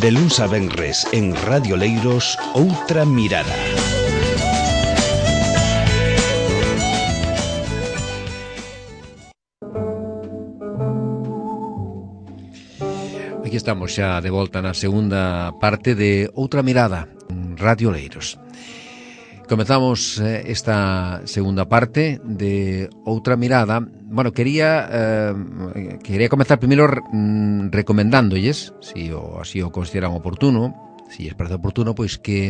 De luns a venres en Radio Leiros, Outra Mirada. Aquí estamos xa de volta na segunda parte de Outra Mirada, Radio Leiros. Comezamos esta segunda parte de Outra Mirada. Bueno, quería comezar primeiro recomendándolles, si así o consideran oportuno, si es parece oportuno, pois que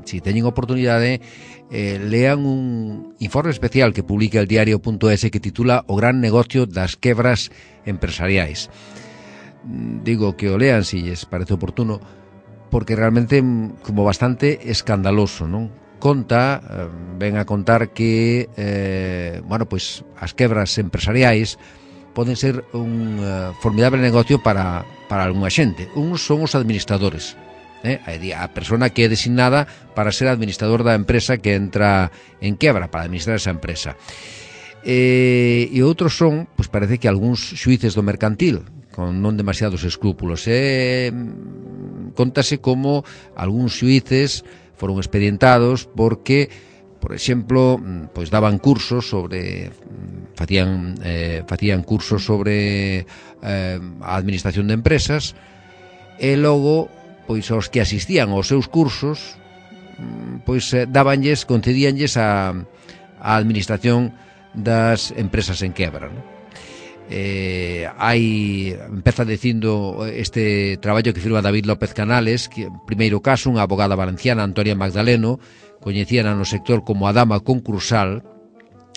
si teñen oportunidade lean un informe especial que publica el diario.es que titula O gran negocio das quebras empresariais. Digo que o lean si lles parece oportuno porque realmente como bastante escandaloso, non? Ven a contar que pois as quebras empresariais poden ser un formidable negocio para algunha xente. Uns son os administradores, a persona que é designada para ser administrador da empresa que entra en quebra, para administrar esa empresa. E outros son, pois parece que algúns xuíces do mercantil con non demasiados escrúpulos. Contase como algúns xuíces foron expedientados porque, por exemplo, pois daban cursos sobre facían cursos sobre a administración de empresas e logo pois aos que asistían aos seus cursos pois concedíanlles a administración das empresas en quebra, non? Empeza dicindo este traballo que firma David López Canales, que primeiro caso, unha abogada valenciana, Antonia Magdaleno, coñecíana no sector como a dama concursal,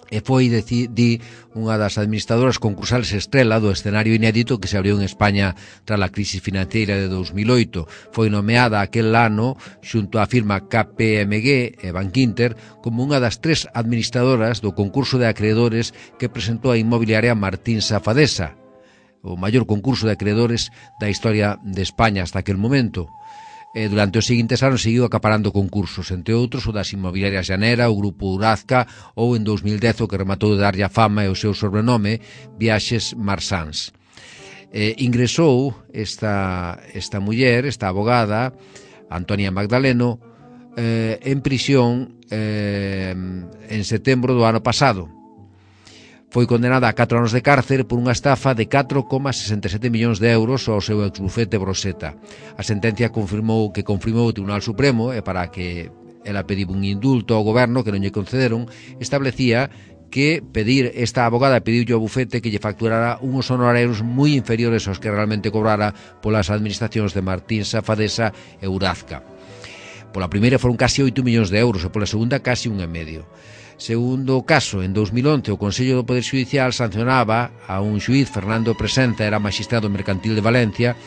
e foi, unha das administradoras concursales estrela do escenario inédito que se abriu en España tras a crisis financiera de 2008. Foi nomeada aquel ano xunto á firma KPMG e Bankinter como unha das 3 administradoras do concurso de acreedores que presentou a inmobiliaria Martín Safadesa, o maior concurso de acreedores da historia de España hasta aquel momento. Durante os seguintes anos seguiu acaparando concursos, entre outros o das inmobiliarias Llanera, o grupo Urazca ou en 2010 o que rematou de darlle a fama e o seu sobrenome, Viaxes Marsans. Ingresou esta muller, esta abogada, Antonia Magdaleno, en prisión en setembro do ano pasado. Foi condenada a 4 anos de cárcere por unha estafa de 4,67 millóns de euros ao seu exbufete Broseta. A sentencia confirmou o Tribunal Supremo e para que ela pediu un indulto ao goberno que non lle concederon, establecía que esta abogada pediulle ao bufete que lle facturara uns honorarios moi inferiores aos que realmente cobrara polas administracións de Martín Safadesa e Urazca. Pola primeira foron casi 8 millóns de euros e pola segunda casi 1,5. Segundo caso, en 2011, o Consello do Poder Xudicial sancionaba a un xuíz, Fernando Presenza, era magistrado mercantil de Valencia,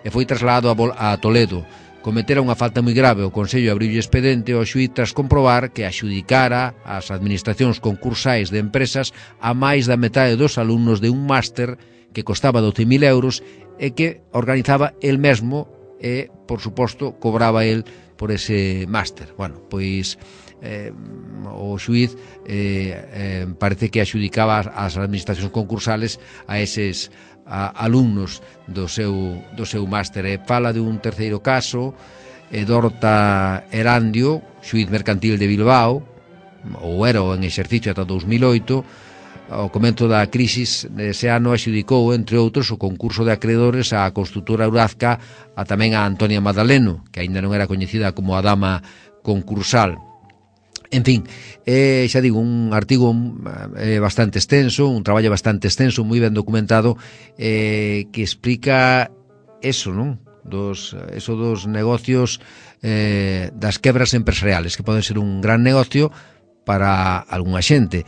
e foi trasladado a Toledo. Cometera unha falta moi grave, o Consello abriulle expedente ao xuíz tras comprobar que axudicara as administracións concursais de empresas a máis da metade dos alumnos de un máster que costaba 12.000 euros e que organizaba el mesmo e, por suposto, cobraba el por ese máster. Bueno, pois o xuíz parece que axudicaba as administracións concursales a eses alumnos do seu máster. Fala de un terceiro caso, Dorta Erandio, xuíz mercantil de Bilbao, ou era en exercicio ata 2008. Ao comento da crisis ese ano axudicou, entre outros, o concurso de acreedores á construtora Urazca, tamén a Antonia Magdaleno, que aínda non era coñecida como a dama concursal. En fin, xa digo, un artigo bastante extenso, un traballo bastante extenso, moi ben documentado, que explica eso, non? Dos negocios das quebras empresariales, que poden ser un gran negocio para algunha xente,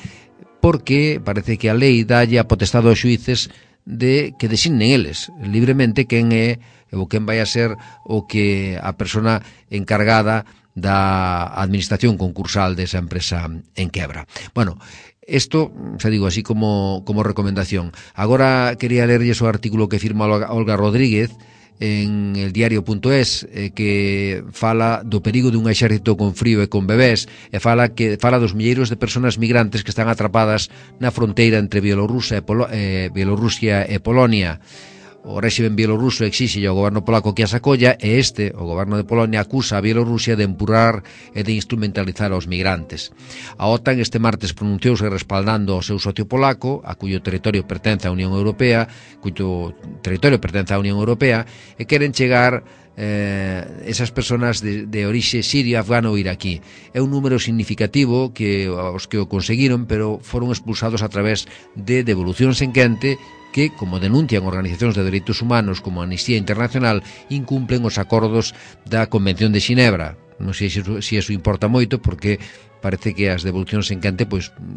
porque parece que a lei dalle a potestade aos xuíces de que designen eles libremente quen é ou quen vai a ser o que a persona encargada da administración concursal desa empresa en quebra. Bueno, isto, xa digo, así como recomendación. Agora quería lerlles o artículo que firma Olga Rodríguez en el diario.es, que fala do perigo dun exército con frío e con bebés, e fala dos milleiros de persoas migrantes que están atrapadas na fronteira entre Bielorrusia e Polonia. O réximen bielorruso exixe ao goberno polaco que as acolla e o goberno de Polonia, acusa a Bielorrusia de empurrar e de instrumentalizar aos migrantes. A OTAN este martes pronunciouse respaldando ao seu socio polaco, a cuyo territorio pertence á Unión Europea, e queren chegar esas persoas de orixe sirio, afgano ou iraquí. É un número significativo que os que o conseguiron, pero foron expulsados a través de devolucións en quente que, como denuncian organizacións de dereitos humanos como Amnistía Internacional, incumplen os acordos da Convención de Xinebra. Non sei se iso importa moito, porque parece que as devolucións en quente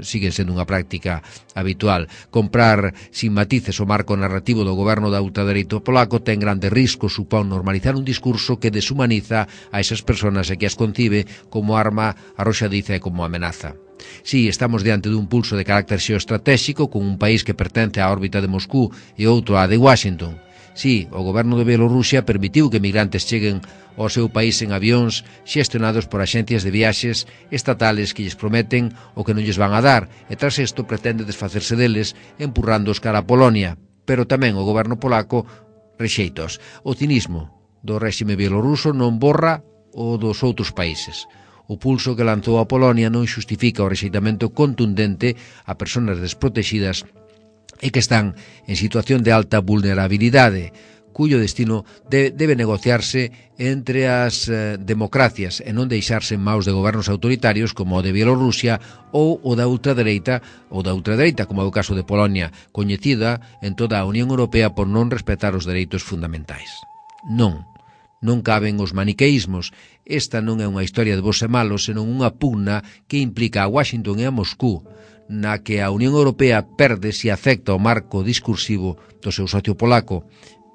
siguen sendo unha práctica habitual. Comprar sin matices o marco narrativo do goberno da ultradereita polaco ten grandes riscos, supón normalizar un discurso que deshumaniza a esas persoas e que as concibe como arma arroxadiza e como amenaza. Si, estamos diante dun pulso de carácter xeoestratéxico con un país que pertence á órbita de Moscú e outro á de Washington. Si, o goberno de Bielorrusia permitiu que migrantes cheguen ao seu país en avións xestionados por axencias de viaxes estatales que lles prometen o que non lles van a dar, e tras isto pretende desfacerse deles empurrándoos cara a Polonia. Pero tamén o goberno polaco rexeitos. O cinismo do réxime bielorruso non borra o dos outros países. O pulso que lanzou a Polonia non xustifica o rexeitamento contundente a persoas desprotegidas e que están en situación de alta vulnerabilidade, cuyo destino debe negociarse entre as democracias e non deixarse en maus de gobernos autoritarios como o de Bielorrusia ou o da ultradereita, como é o caso de Polonia, coñecida en toda a Unión Europea por non respetar os dereitos fundamentais. Non caben os maniqueísmos. Esta non é unha historia de bos e malos, senón unha pugna que implica a Washington e a Moscú, na que a Unión Europea perde se acepta o marco discursivo do seu socio polaco,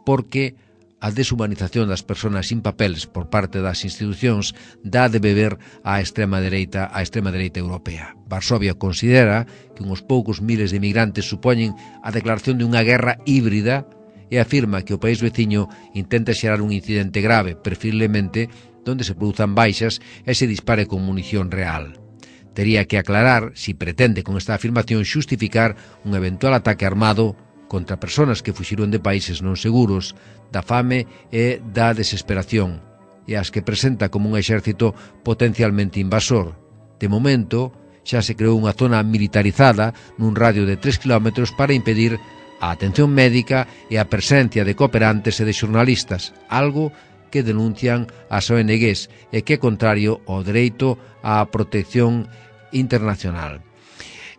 porque a deshumanización das persoas sin papeles por parte das institucións dá de beber á extrema dereita europea. Varsovia considera que uns poucos miles de migrantes supoñen a declaración de unha guerra híbrida e afirma que o país veciño intenta xerar un incidente grave, preferiblemente donde se produzan baixas e se dispare con munición real. Tería que aclarar, si pretende con esta afirmación xustificar un eventual ataque armado contra persoas que fuxiron de países non seguros, da fame e da desesperación, e as que presenta como un exército potencialmente invasor. De momento, xa se creou unha zona militarizada nun radio de 3 km para impedir a atención médica e a presencia de cooperantes e de xornalistas, algo que denuncian as ONGs e que é contrario ao dereito á protección internacional.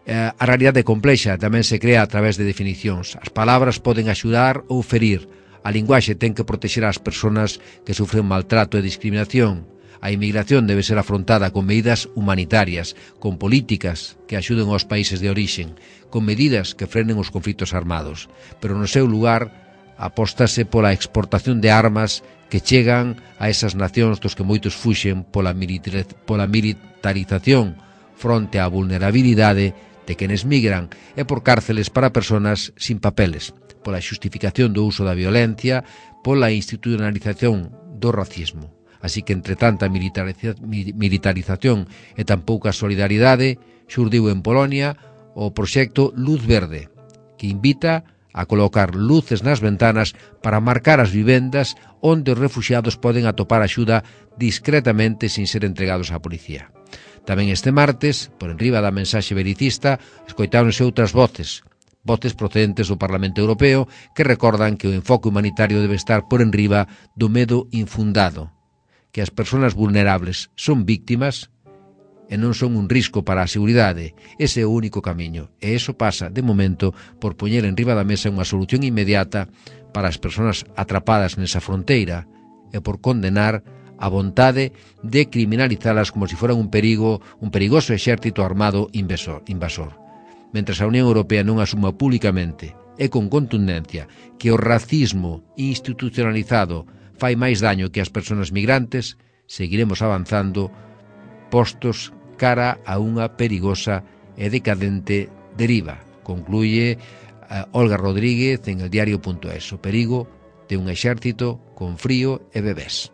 A realidade complexa tamén se crea a través de definicións. As palabras poden axudar ou ferir. A linguaxe ten que protexer as persoas que sufren maltrato e discriminación. A inmigración debe ser afrontada con medidas humanitarias, con políticas que axuden aos países de orixen, con medidas que frenen os conflitos armados. Pero no seu lugar apóstase pola exportación de armas que chegan a esas nacións dos que moitos fuxen pola militarización fronte á vulnerabilidade de quenes migran e por cárceles para persoas sin papeles, pola xustificación do uso da violencia, pola institucionalización do racismo. Así que entre tanta militarización e tan pouca solidaridade, xurdiu en Polonia o proxecto Luz Verde, que invita a colocar luces nas ventanas para marcar as vivendas onde os refuxiados poden atopar axuda discretamente sin ser entregados á policía. Tamén este martes, por enriba da mensaxe belicista, escoitáronse outras voces procedentes do Parlamento Europeo que recordan que o enfoque humanitario debe estar por enriba do medo infundado, que as persoas vulnerables son víctimas e non son un risco para a seguridade. Ese é o único camiño, e iso pasa, de momento, por poñer enriba da mesa unha solución inmediata para as persoas atrapadas nesa fronteira e por condenar a vontade de criminalizalas como se foran un perigoso exército armado invasor. Mentras a Unión Europea non asuma públicamente e con contundencia que o racismo institucionalizado fai máis daño que as persoas migrantes, seguiremos avanzando postos cara a unha perigosa e decadente deriva. Concluye Olga Rodríguez en eldiario.es. O perigo de un exército con frío e bebés.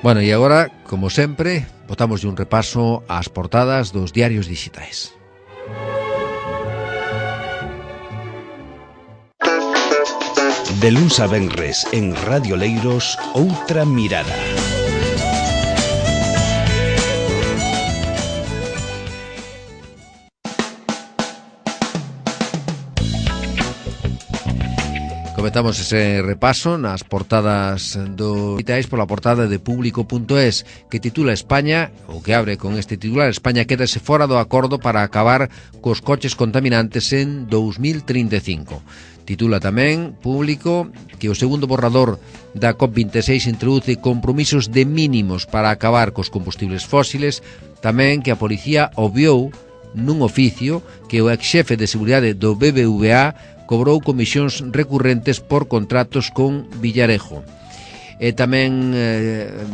Bueno, e agora, como sempre, botamos un repaso ás portadas dos diarios digitais. De luns a venres en Radio Leiros, Outra Mirada. Comezamos ese repaso nas portadas do digitais pola portada de Público.es, que titula España, ou que abre con este titular: España quédase fora do acordo para acabar cos coches contaminantes en 2035. Titula tamén Público que o segundo borrador da COP26 introduce compromisos de mínimos para acabar cos combustibles fósiles, tamén que a policía obviou nun oficio que o exxefe de seguridade do BBVA cobrou comisións recurrentes por contratos con Villarejo. E tamén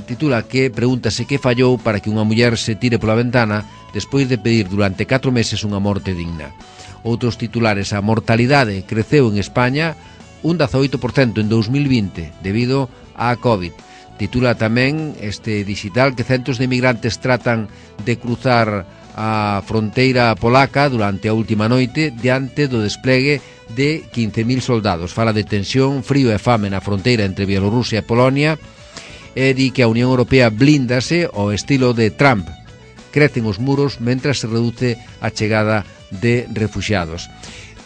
titula que pregúntase que fallou para que unha muller se tire pola ventana despois de pedir durante 4 meses unha morte digna. Outros titulares: a mortalidade creceu en España un 18% en 2020 debido á COVID. Titula tamén este digital que centos de migrantes tratan de cruzar a fronteira polaca durante a última noite diante do desplegue de 15.000 soldados. Fala de tensión, frío e fame na fronteira entre Bielorrusia e Polonia e di que a Unión Europea blíndase ao estilo de Trump. Crecen os muros mentras se reduce a chegada de refuxiados.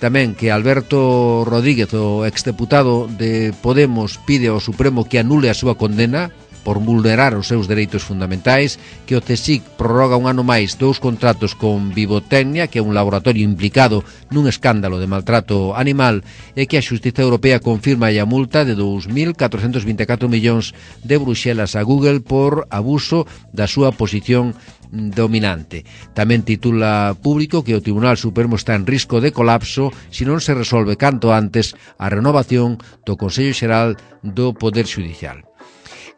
Tamén que Alberto Rodríguez, o exdeputado de Podemos, pide ao Supremo que anule a súa condena por vulnerar os seus dereitos fundamentais, que o CSIC prorroga un ano máis 2 contratos con Vivotecnia, que é un laboratorio implicado nun escándalo de maltrato animal, e que a Xustiza Europea confirma a multa de 2.424 millóns de Bruxelas a Google por abuso da súa posición dominante. Tamén titula Público que o Tribunal Supremo está en risco de colapso se non se resolve canto antes a renovación do Consello Xeral do Poder Xudicial.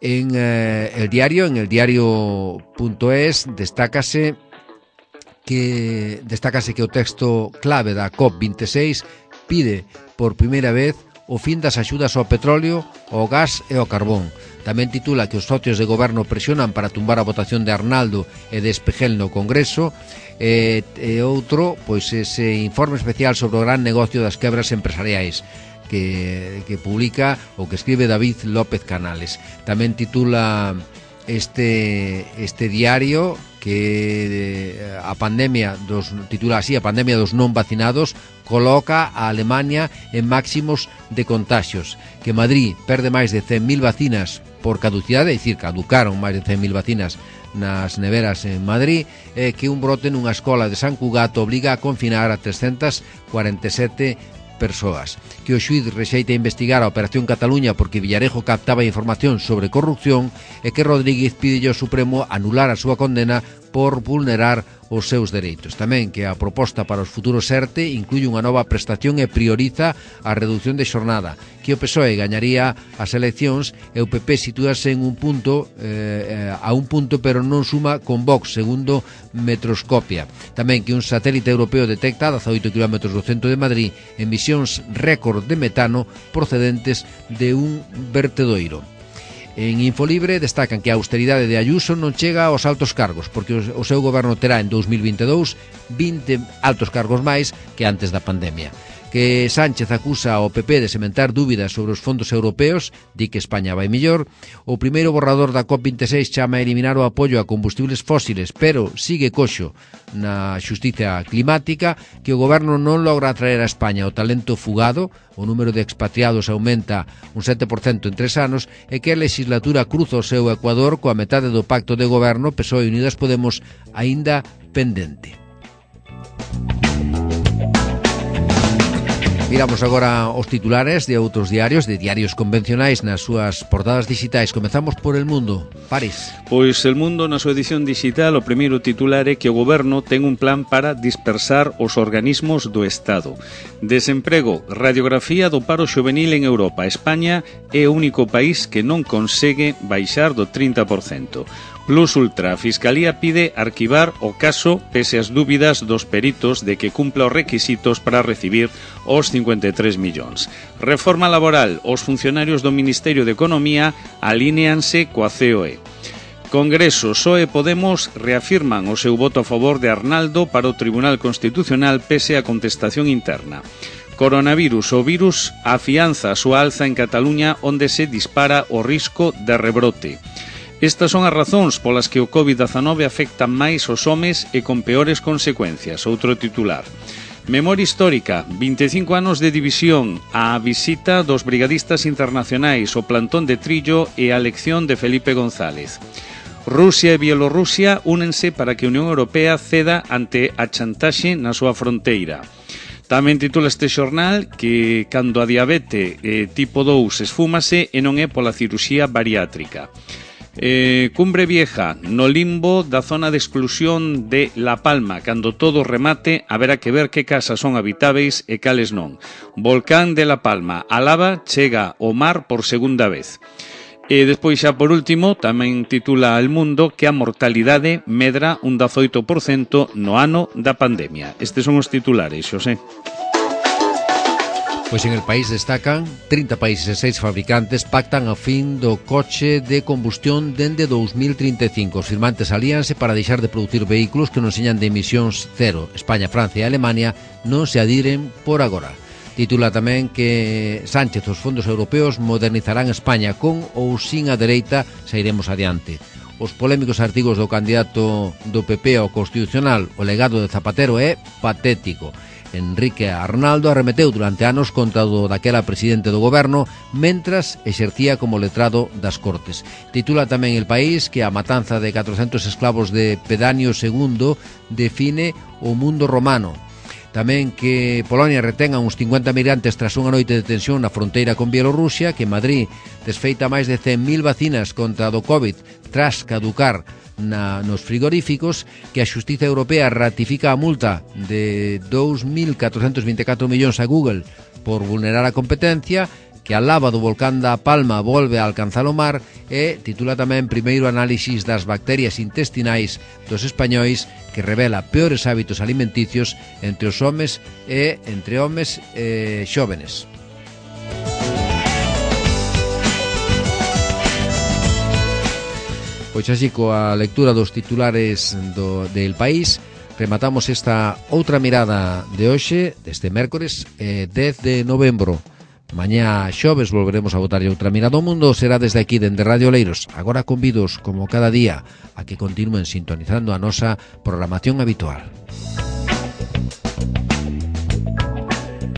En el diario.es destácase que o texto clave da COP26 pide por primeira vez o fin das axudas ao petróleo, ao gas e ao carbón. Tamén titula que os socios de goberno presionan para tumbar a votación de Arnaldo e de Espejel no Congreso, e outro, pois ese informe especial sobre o gran negocio das quebras empresariais que publica ou que escribe David López Canales. Tamén titula este diario que a pandemia dos non vacinados coloca a Alemania en máximos de contaxios, que Madrid perde máis de 100.000 vacinas por caducidade, é dicir, caducaron máis de 100.000 vacinas nas neveras en Madrid, e que un brote nunha escola de San Cugat obliga a confinar a 347 persoas, que o xuíz rexeita investigar a Operación Cataluña porque Villarejo captaba información sobre corrupción, e que Rodríguez pide ao Supremo anular a súa condena por vulnerar os seus dereitos. Tamén que a proposta para os futuros ERTE incluye unha nova prestación e prioriza a reducción de xornada, que o PSOE gañaría as eleccións e o PP sitúase en un punto pero non suma con Vox, segundo Metroscopia. Tamén que un satélite europeo detecta a 18 km do centro de Madrid emisións récord de metano procedentes de un vertedoiro. En Infolibre destacan que a austeridade de Ayuso non chega aos altos cargos, porque o seu goberno terá en 2022 20 altos cargos máis que antes da pandemia. Que Sánchez acusa ao PP de sementar dúbidas sobre os fondos europeos, di que España vai mellor. O primeiro borrador da COP26 chama a eliminar o apoio a combustibles fósiles, pero sigue coxo na xustiza climática, que o goberno non logra atraer a España o talento fugado, o número de expatriados aumenta un 7% en 3 anos, e que a legislatura cruza o seu ecuador coa metade do pacto de goberno PSOE e Unidas Podemos aínda pendente. Miramos agora os titulares de outros diarios, de diarios convencionais nas súas portadas digitais. Comezamos por El Mundo. París. Pois El Mundo, na súa edición digital, o primeiro titular é que o goberno ten un plan para dispersar os organismos do Estado. Desemprego, radiografía do paro xuvenil en Europa. España é o único país que non consegue baixar do 30%. Plus Ultra, a Fiscalía pide arquivar o caso pese as dúbidas dos peritos de que cumpla os requisitos para recibir os 53 millóns. Reforma laboral, os funcionarios do Ministerio de Economía alíneanse coa COE. Congreso, PSOE e Podemos reafirman o seu voto a favor de Arnaldo para o Tribunal Constitucional pese a contestación interna. Coronavirus, o virus afianza a súa alza en Cataluña onde se dispara o risco de rebrote. Estas son as razóns polas que o COVID-19 afecta máis os homes e con peores consecuencias. Outro titular. Memoria histórica, 25 anos de división, a visita dos brigadistas internacionais, o plantón de Trillo e a elección de Felipe González. Rusia e Bielorrusia únense para que a Unión Europea ceda ante a chantaxe na súa fronteira. Tamén titula este xornal que cando a diabete tipo 2 esfúmase e non é pola cirurxía bariátrica. Cumbre Vieja, no limbo da zona de exclusión de La Palma. Cando todo remate, haberá que ver que casas son habitáveis e cales non. Volcán de La Palma, a lava chega ao mar por segunda vez. E despois xa por último, tamén titula El Mundo que a mortalidade medra un 18% no ano da pandemia. Estes son os titulares, Xosé. Pois en el país destacan 30 países e 6 fabricantes pactan a fin do coche de combustión dende 2035. Os firmantes alíanse para deixar de producir vehículos que non señan de emisións cero. España, Francia e Alemania non se adiren por agora. Titula tamén que Sánchez os fondos europeos modernizarán España con ou sin a dereita, sairemos adiante. Os polémicos artigos do candidato do PP ao Constitucional, o legado de Zapatero é patético. Enrique Arnaldo arremeteu durante anos contra o daquela presidente do goberno mentras exercía como letrado das Cortes. Titula tamén El País que a matanza de 400 esclavos de Pedanio II define o mundo romano. Tamén que Polonia retenga uns 50 migrantes tras unha noite de tensión na fronteira con Bielorrusia, que Madrid desfeita máis de 100.000 vacinas contra do COVID tras caducar nos frigoríficos, que a Xustiza Europea ratifica a multa de 2.424 millóns a Google por vulnerar a competencia, que a lava do volcán da Palma volve a alcanzar o mar e titula tamén primeiro análisis das bacterias intestinais dos españois que revela peores hábitos alimenticios entre os homes e entre homes xóvenes. Pois así, coa lectura dos titulares del País, rematamos esta outra mirada de hoxe, deste mércores 10 de novembro. Mañá xoves volveremos a botarlle outra mirada ao mundo. Será desde aquí, dende Radio Oleiros. Agora convidos, como cada día, a que continúen sintonizando a nosa programación habitual.